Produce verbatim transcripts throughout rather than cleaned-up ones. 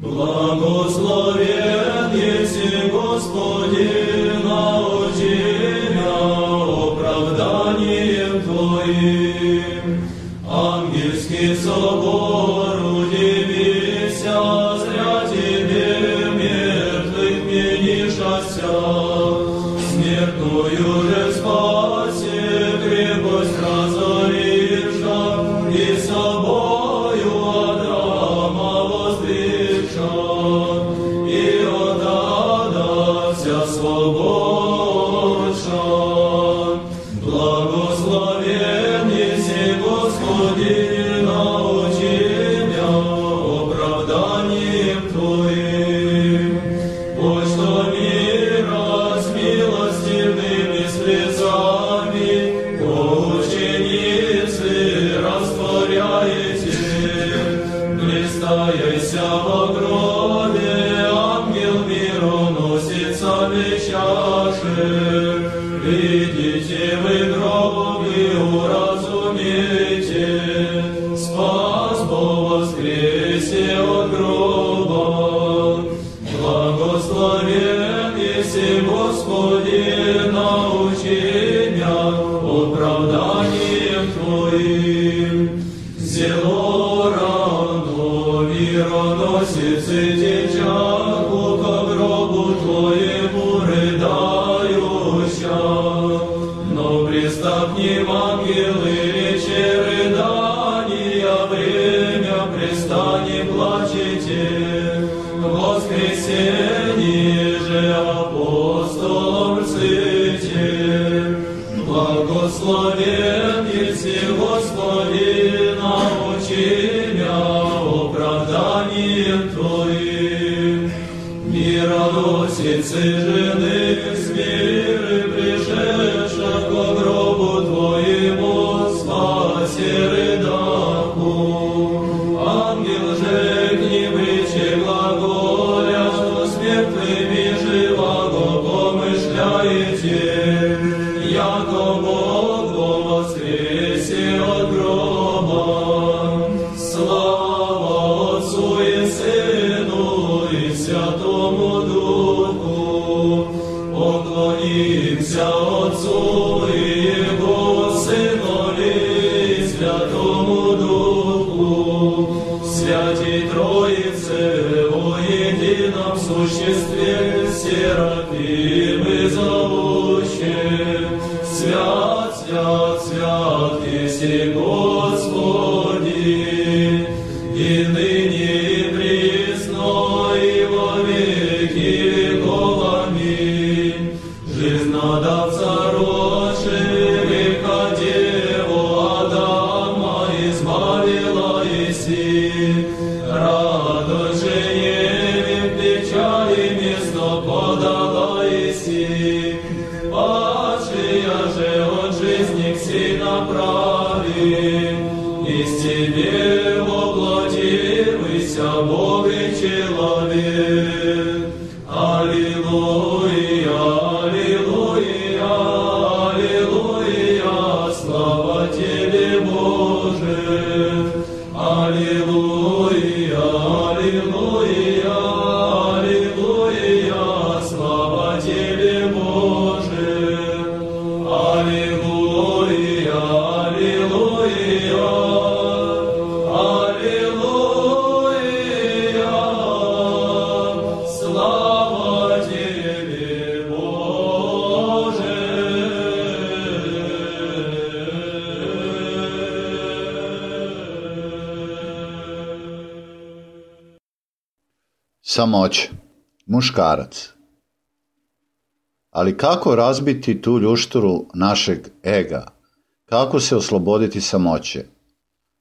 Благословен еси, Господи, научи меня оправданием Твоим. Ангельский собор, удивися, зря Тебе мертвых менишася. Смертную же спаси, крепость разоривша, и собою Адрама воздвигша, и от ада вся свободша. Благословен еси, Господи, научи меня оправданием Твоим. Почто мира с милостивными слезами ученицы растворяете. Блистаяся во гробе, ангел мироносицами чаши. Видите вы гроб и уразумейте, спас Бог воскресе от гроба. Благословен еси, Господи, научи меня оправданием Твоим. Зело рано мироносицы течаку ко гробу Твоему рыдающа. Но пристав к ним ангелы рече рыдания, время пристани плачете. Воскресенье же апостолом рците. Благословен еси, Господи, научи меня оправданием Твоим. Мироносицы жены с миры пришедша ко гробу Твоему спасе рыдаку. Ангел же к ним рече глаголя, что с мертвыми живаго помышляете, яко Бог во воскресе от гроба. Слава Отцу и Сыну и Святому Духу. Поклонимся Отцу и Его Сынові и Святому Духу. Святій Троице во едином существе, серафимы зовуще. Свят, свят, свят, еси Господи, и ныне и присно и во веки веков. Аминь. Жизнодавца рожи, века Деву Адама избавила еси. Радость же Еве в печали место подала еси. Падшая же от жизни к сей направи. Из Тебе воплотився Бог и человек. Аллилуйя, аллилуйя, аллилуйя, слава Тебе, Боже. Аллилуйя, аллилуйя, аллилуйя, слава Тебе, Боже. Аллилуйя, аллилуйя, аллилуйя, слава Тебе, Боже. Samoća, muškarac. Ali kako razbiti tu ljušturu našeg ega? Kako se osloboditi samoće?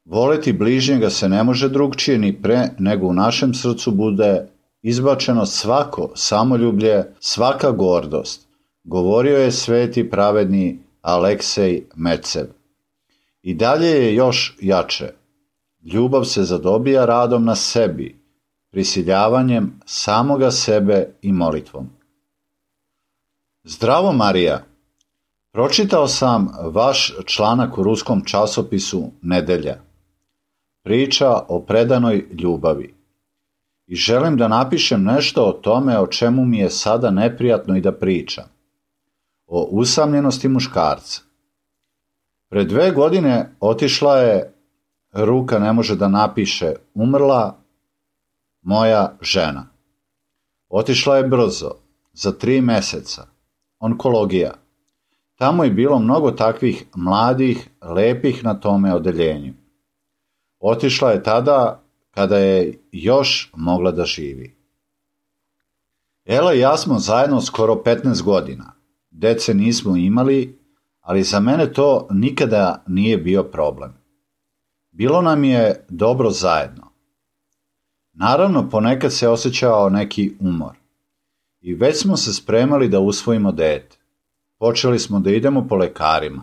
Voleti bližnjega se ne može drugčije ni pre nego u našem srcu bude izbačeno svako samoljublje, svaka gordost, govorio je sveti pravedni Aleksej Mecev. I dalje je još jače. Ljubav se zadobija radom na sebi, prisiljavanjem samoga sebe i molitvom. Zdravo Marija, pročitao sam vaš članak u ruskom časopisu Nedelja. Priča o predanoj ljubavi. i želim da napišem nešto o tome o čemu mi je sada neprijatno i da pričam. O usamljenosti muškarca. Pred dve godine otišla je, ruka ne može da napiše, umrla moja žena. Otišla je brzo, za tri meseca. Onkologija. Tamo je bilo mnogo takvih mladih, lepih na tome odeljenju. Otišla je tada kada je još mogla da živi. Ela i ja smo zajedno skoro petnaest godina. Dece nismo imali, ali za mene to nikada nije bio problem. Bilo nam je dobro zajedno. Naravno, ponekad se osjećao neki umor. I već smo se spremali da usvojimo dete. Počeli smo da idemo po lekarima,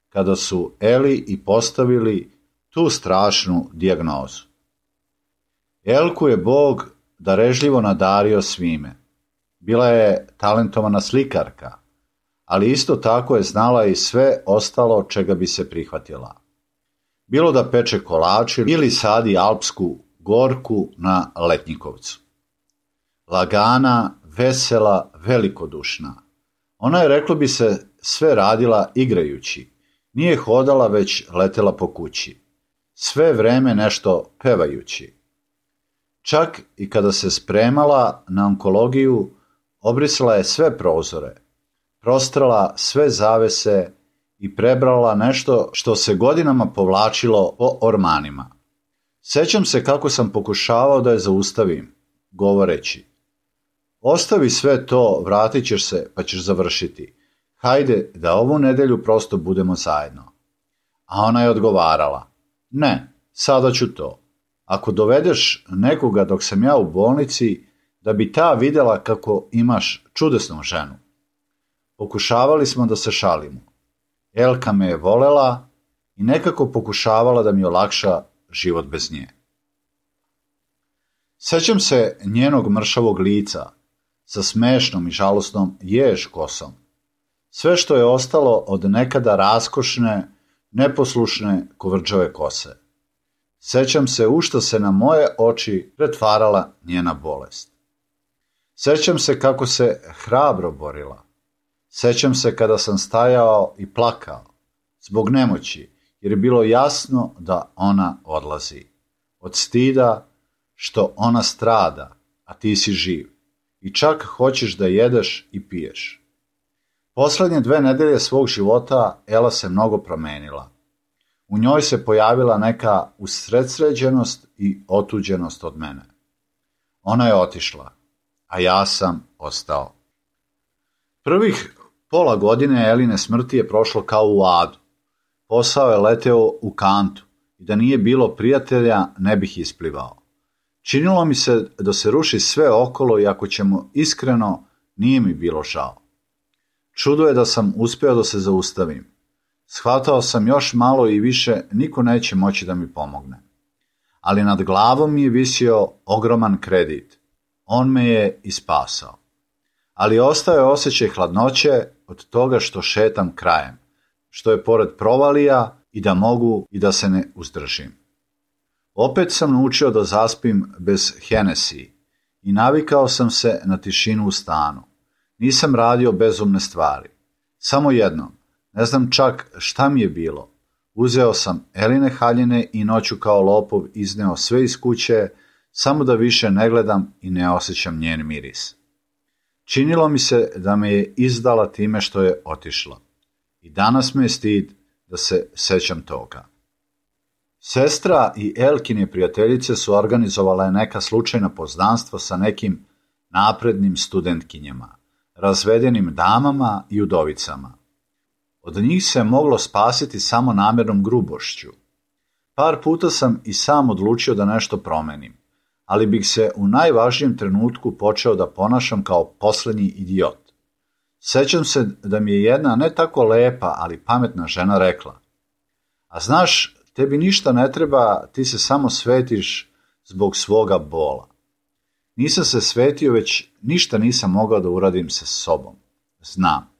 kada su Eli i postavili tu strašnu dijagnozu. Elku je Bog darežljivo nadario svime. Bila je talentovana slikarka, ali isto tako je znala i sve ostalo čega bi se prihvatila. Bilo da peče kolače ili sadi alpsku gorku na Letnjikovcu. Lagana, vesela, velikodušna. Ona je, reklo bi se, sve radila igrajući. Nije hodala, već letela po kući. Sve vreme nešto pevajući. Čak i kada se spremala na onkologiju, obrisala je sve prozore, prostrala sve zavese i prebrala nešto što se godinama povlačilo po ormanima. Sećam se kako sam pokušavao da je zaustavim, govoreći: ostavi sve to, vratit ćeš se pa ćeš završiti. Hajde da ovu nedelju prosto budemo zajedno. A ona je odgovarala: ne, sada ću to. Ako dovedeš nekoga dok sam ja u bolnici, da bi ta videla kako imaš čudesnu ženu. Pokušavali smo da se šalimo. Elka me je volela i nekako pokušavala da mi olakša život bez nje. Sećam se njenog mršavog lica, sa smešnom i žalosnom jež kosom. Sve što je ostalo od nekada raskošne, neposlušne kovrđave kose. Sećam se u što se na moje oči pretvarala njena bolest. Sećam se kako se hrabro borila. Sećam se kada sam stajao i plakao, zbog nemoći, jer je bilo jasno da ona odlazi. Od stida što ona strada, a ti si živ. I čak hoćeš da jedeš i piješ. Poslednje dve nedelje svog života Ela se mnogo promenila. U njoj se pojavila neka usredsređenost i otuđenost od mene. Ona je otišla, a ja sam ostao. Prvih pola godine Eline smrti je prošlo kao u adu. Posao je leteo u kantu i da nije bilo prijatelja ne bih isplivao. Činilo mi se da se ruši sve okolo i ako ćemo iskreno, nije mi bilo žao. Čudo je da sam uspeo da se zaustavim. Shvatao sam još malo i više niko neće moći da mi pomogne. Ali nad glavom mi je visio ogroman kredit. On me je i spasao. Ali ostao je osjećaj hladnoće od toga što šetam krajem, što je pored provalija i da mogu i da se ne uzdržim. Opet sam naučio da zaspim bez Hennessy i navikao sam se na tišinu u stanu. Nisam radio bezumne stvari. Samo jednom, ne znam čak šta mi je bilo. Uzeo sam Eline haljine i noću kao lopov izneo sve iz kuće, samo da više ne gledam i ne osjećam njen miris. Činilo mi se da me je izdala time što je otišla. I danas me je stid da se sećam toga. Sestra i Elkine prijateljice su organizovale neka slučajna poznanstva sa nekim naprednim studentkinjama, razvedenim damama i udovicama. Od njih se moglo spasiti samo namjernom grubošću. Par puta sam i sam odlučio da nešto promenim, ali bih se u najvažnijem trenutku počeo da ponašam kao poslednji idiot. Sećam se da mi je jedna ne tako lepa, ali pametna žena rekla: a znaš, tebi ništa ne treba, ti se samo svetiš zbog svoga bola. Nisam se svetio, već ništa nisam mogao da uradim sa sobom. Znam.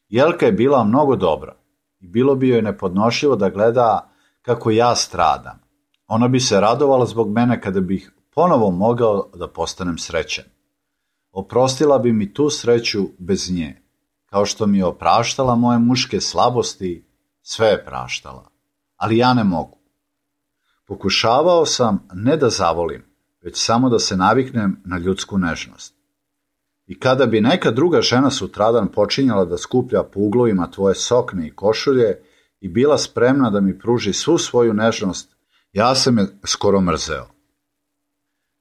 Jelka je bila mnogo dobra i bilo bi joj nepodnošljivo da gleda kako ja stradam. Ona bi se radovala zbog mene kada bih ponovo mogao da postanem srećan. Oprostila bi mi tu sreću bez nje, kao što mi je opraštala moje muške slabosti, sve je praštala, ali ja ne mogu. Pokušavao sam ne da zavolim, već samo da se naviknem na ljudsku nežnost. I kada bi neka druga žena sutradan počinjala da skuplja po uglovima tvoje sokne i košulje i bila spremna da mi pruži svu svoju nežnost, ja sam je skoro mrzeo.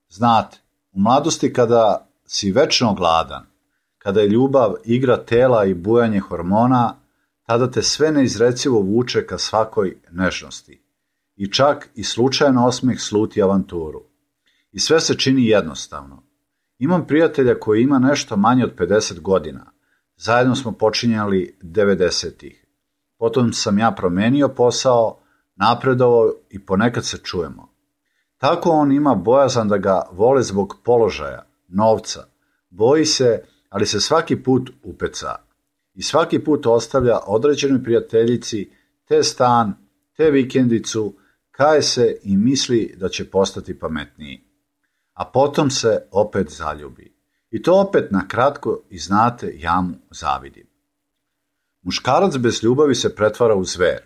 Znate, u mladosti kada si večno gladan, kada je ljubav igra tela i bujanje hormona, tada te sve neizrecivo vuče ka svakoj nežnosti. I čak i slučajan osmeh sluti avanturu. I sve se čini jednostavno. Imam prijatelja koji ima nešto manje od pedeset godina. Zajedno smo počinjali devedesetih. Potom sam ja promenio posao, napredovao i ponekad se čujemo. Tako on ima bojazan da ga vole zbog položaja, novca. Boji se, ali se svaki put upeca. I svaki put ostavlja određenoj prijateljici te stan, te vikendicu, kaje se i misli da će postati pametniji. A potom se opet zaljubi. I to opet na kratko i znate, ja mu zavidim. Muškarac bez ljubavi se pretvara u zver.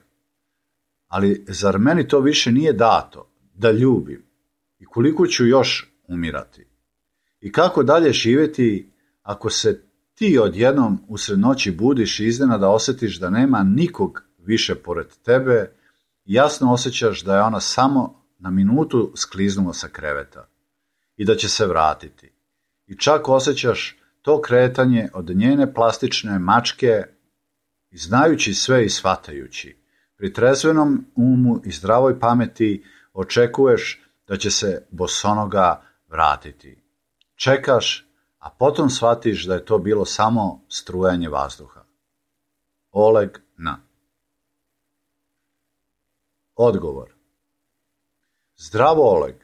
Ali zar meni to više nije dato, da ljubim? I koliko ću još umirati? I kako dalje živjeti ako se ti odjednom usred noći budiš i iznenada osjetiš da nema nikog više pored tebe i jasno osjećaš da je ona samo na minutu skliznula sa kreveta i da će se vratiti. I čak osjećaš to kretanje od njene plastične mačke i znajući sve i shvatajući. Pri trezvenom umu i zdravoj pameti očekuješ da će se bosonoga vratiti. Čekaš, a potom shvatiš da je to bilo samo strujanje vazduha. Oleg N. Odgovor. Zdravo, Oleg.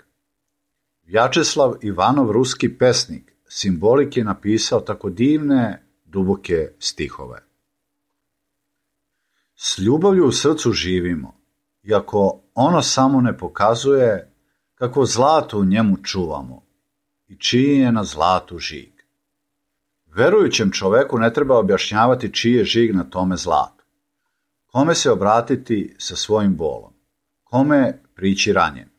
Vjačeslav Ivanov, ruski pesnik, simbolik je napisao tako divne, duboke stihove. S ljubavlju u srcu živimo, iako ono samo ne pokazuje kako zlato u njemu čuvamo i čiji je na zlatu žig. Verujućem čoveku ne treba objašnjavati čiji je žig na tome zlatu. Kome se obratiti sa svojim bolom? Kome prići ranjen?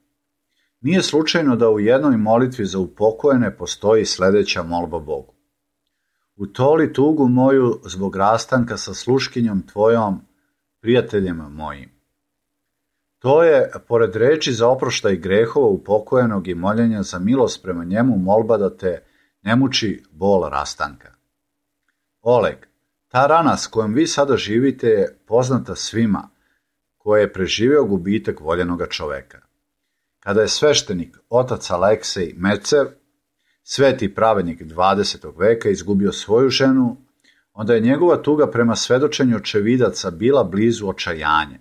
Nije slučajno da u jednoj molitvi za upokojene postoji sljedeća molba Bogu. Utoli tugu moju zbog rastanka sa sluškinjom tvojom, prijateljem mojim. To je, pored reči za oproštaj grehova upokojenog i moljenja za milost prema njemu, molba da te ne muči bol rastanka. Oleg, ta rana s kojom vi sada živite je poznata svima koje je preživio gubitak voljenoga čoveka. Kada je sveštenik otac Aleksej Mecer, sveti pravednik dvadesetog veka, izgubio svoju ženu, onda je njegova tuga prema svedočenju očevidaca bila blizu očajanja.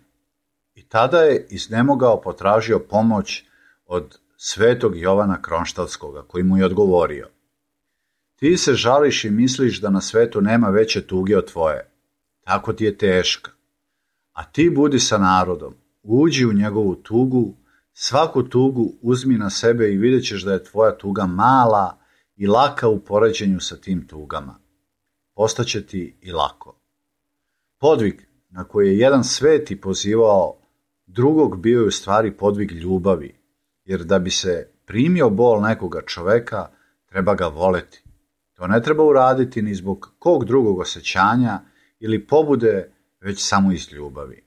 I tada je iznemogao potražio pomoć od svetog Jovana Kronštalskoga, koji mu je odgovorio: ti se žališ i misliš da na svetu nema veće tuge od tvoje. Tako ti je teška. A ti budi sa narodom, uđi u njegovu tugu, svaku tugu uzmi na sebe i vidjet ćeš da je tvoja tuga mala i laka u poređenju sa tim tugama. Postaće ti i lako. Podvig na koji je jedan sveti pozivao drugog bio je u stvari podvig ljubavi, jer da bi se primio bol nekoga čoveka, treba ga voleti. To ne treba uraditi ni zbog kog drugog osjećanja ili pobude, već samo iz ljubavi.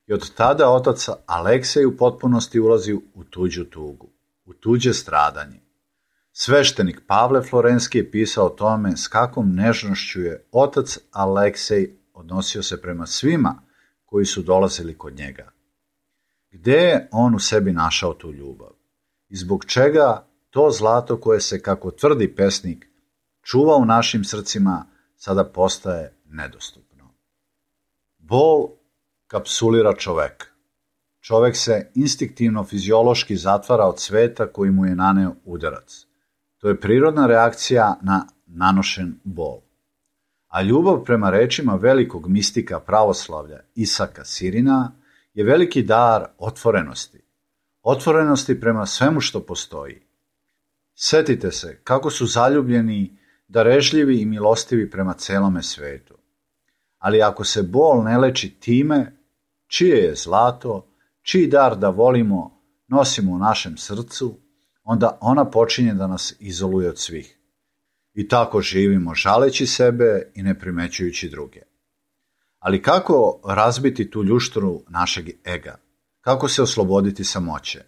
I od tada otac Aleksej u potpunosti ulazi u tuđu tugu, u tuđe stradanje. Sveštenik Pavle Florenski je pisao o tome s kakvom nežnošću je otac Aleksej odnosio se prema svima koji su dolazili kod njega. Gde je on u sebi našao tu ljubav? I zbog čega to zlato koje se, kako tvrdi pesnik, čuva u našim srcima, sada postaje nedostupno? Bol kapsulira čoveka. Čovek se instinktivno fiziološki zatvara od sveta koji mu je naneo udarac. To je prirodna reakcija na nanošen bol. A ljubav, prema rečima velikog mistika pravoslavlja Isaka Sirina, je veliki dar otvorenosti. Otvorenosti prema svemu što postoji. Setite se kako su zaljubljeni, darežljivi i milostivi prema celome svetu. Ali ako se bol ne leči time, čije je zlato, čiji dar da volimo nosimo u našem srcu, onda ona počinje da nas izoluje od svih. I tako živimo žaleći sebe i ne primećujući druge. Ali kako razbiti tu ljušturu našeg ega? Kako se osloboditi samoće?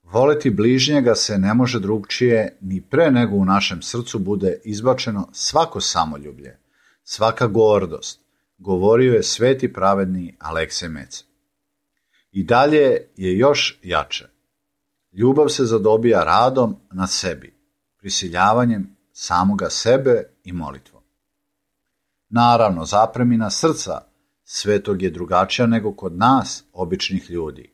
Voleti bližnjega se ne može drugčije ni pre nego u našem srcu bude izbačeno svako samoljublje, svaka gordost, govorio je sveti pravedni Aleksej Mec. I dalje je još jače. Ljubav se zadobija radom na sebi, prisiljavanjem samoga sebe i molitvom. Naravno, zapremina srca svetog je drugačija nego kod nas, običnih ljudi.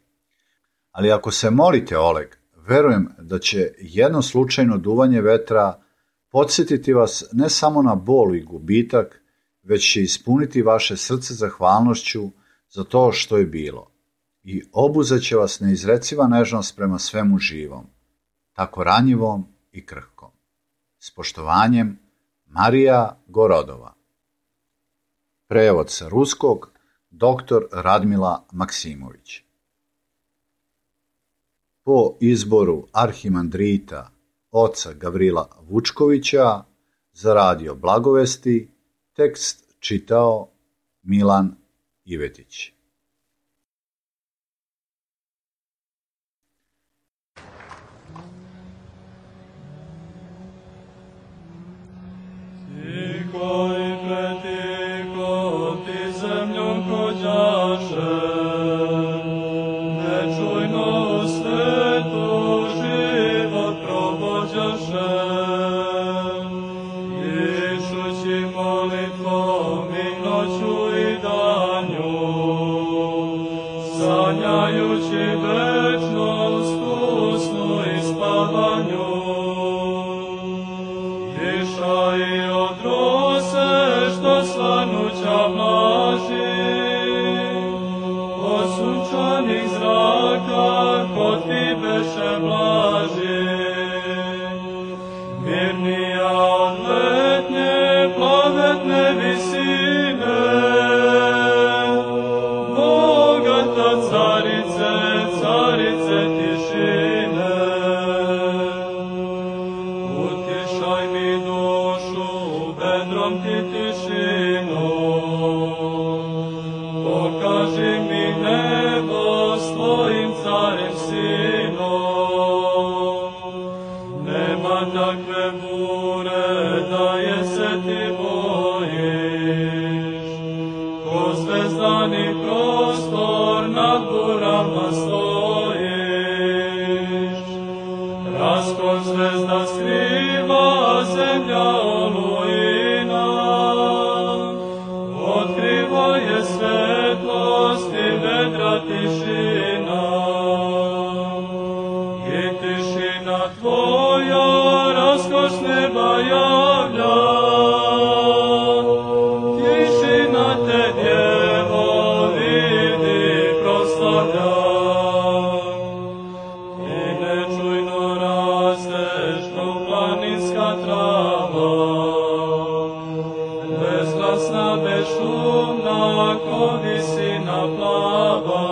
Ali ako se molite, Oleg, verujem da će jedno slučajno duvanje vetra podsjetiti vas ne samo na bol i gubitak, već će ispuniti vaše srce zahvalnošću za to što je bilo i obuzeće vas neizreciva nežnost prema svemu živom, tako ranjivom i krhkom. S poštovanjem, Marija Gorodova. Prevod sa ruskog, doktor Radmila Maksimović. Po izboru arhimandrita oca Gavrila Vučkovića za radio Blagovesti, tekst čitao Milan Ivetić. Tiho i pretiho ti zemljom hođaše, nečujno u svetu život provođaše. Išući molitvom i noću i danju, sanjajući večnost u snu i spavanju. Dišaj od rose što slanuća mlaži, od sunčanih zraka kod ti beše blaži. Mirnija od letnje plavetne visine, bogata carice, carice tišine. Utišaj mi dušu, vedrom ti tišinu, pokaži mi nebo s tvojim carem sinom. Nema takve bure da je se ti bojiš, ko zvezdani prostor nad burama stojiš. Raskon zvezda skriva zemlja olujina, otkriva je svetlost i vedra tišina. I tišina tvoja raskoš neba javlja, tišina te djevo vidi proslavlja. I nečujno rasteš ko planinska trava, bezglasna, bezšumna ko visina plava.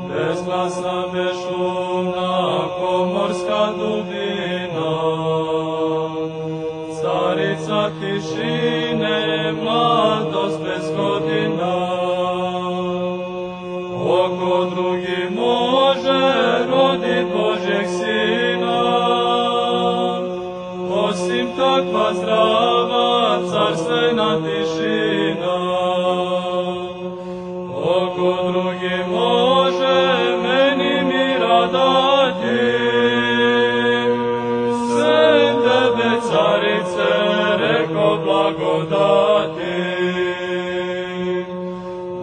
Bezglasna, bezšumna ko morska dubina, carica tišine, mladost bez godina. Oko drugi može rodit Božjeg sina, osim takva zdrava carstvena tišina. Oko drugi može meni mira dati, sem tebe carice reko blagodati.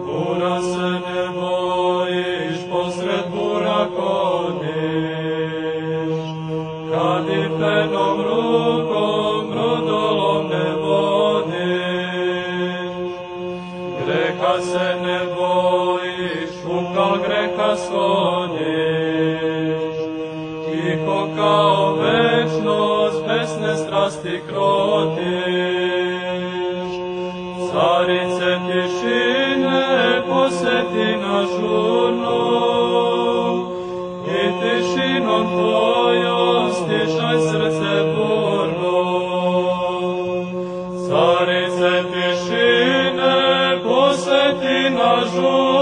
Bura se ne bojiš, posred bura kodiš, kad i penom rukom brodolom ne vodiš. Greha se ne bojiš, ukal greha skloniš, i tiho kao večnost, besne strasti krotiš. Carice tišine, poseti nas žurno, i tišinom tvojom stišaj srce burno. Carice tišine, poseti nas žurno,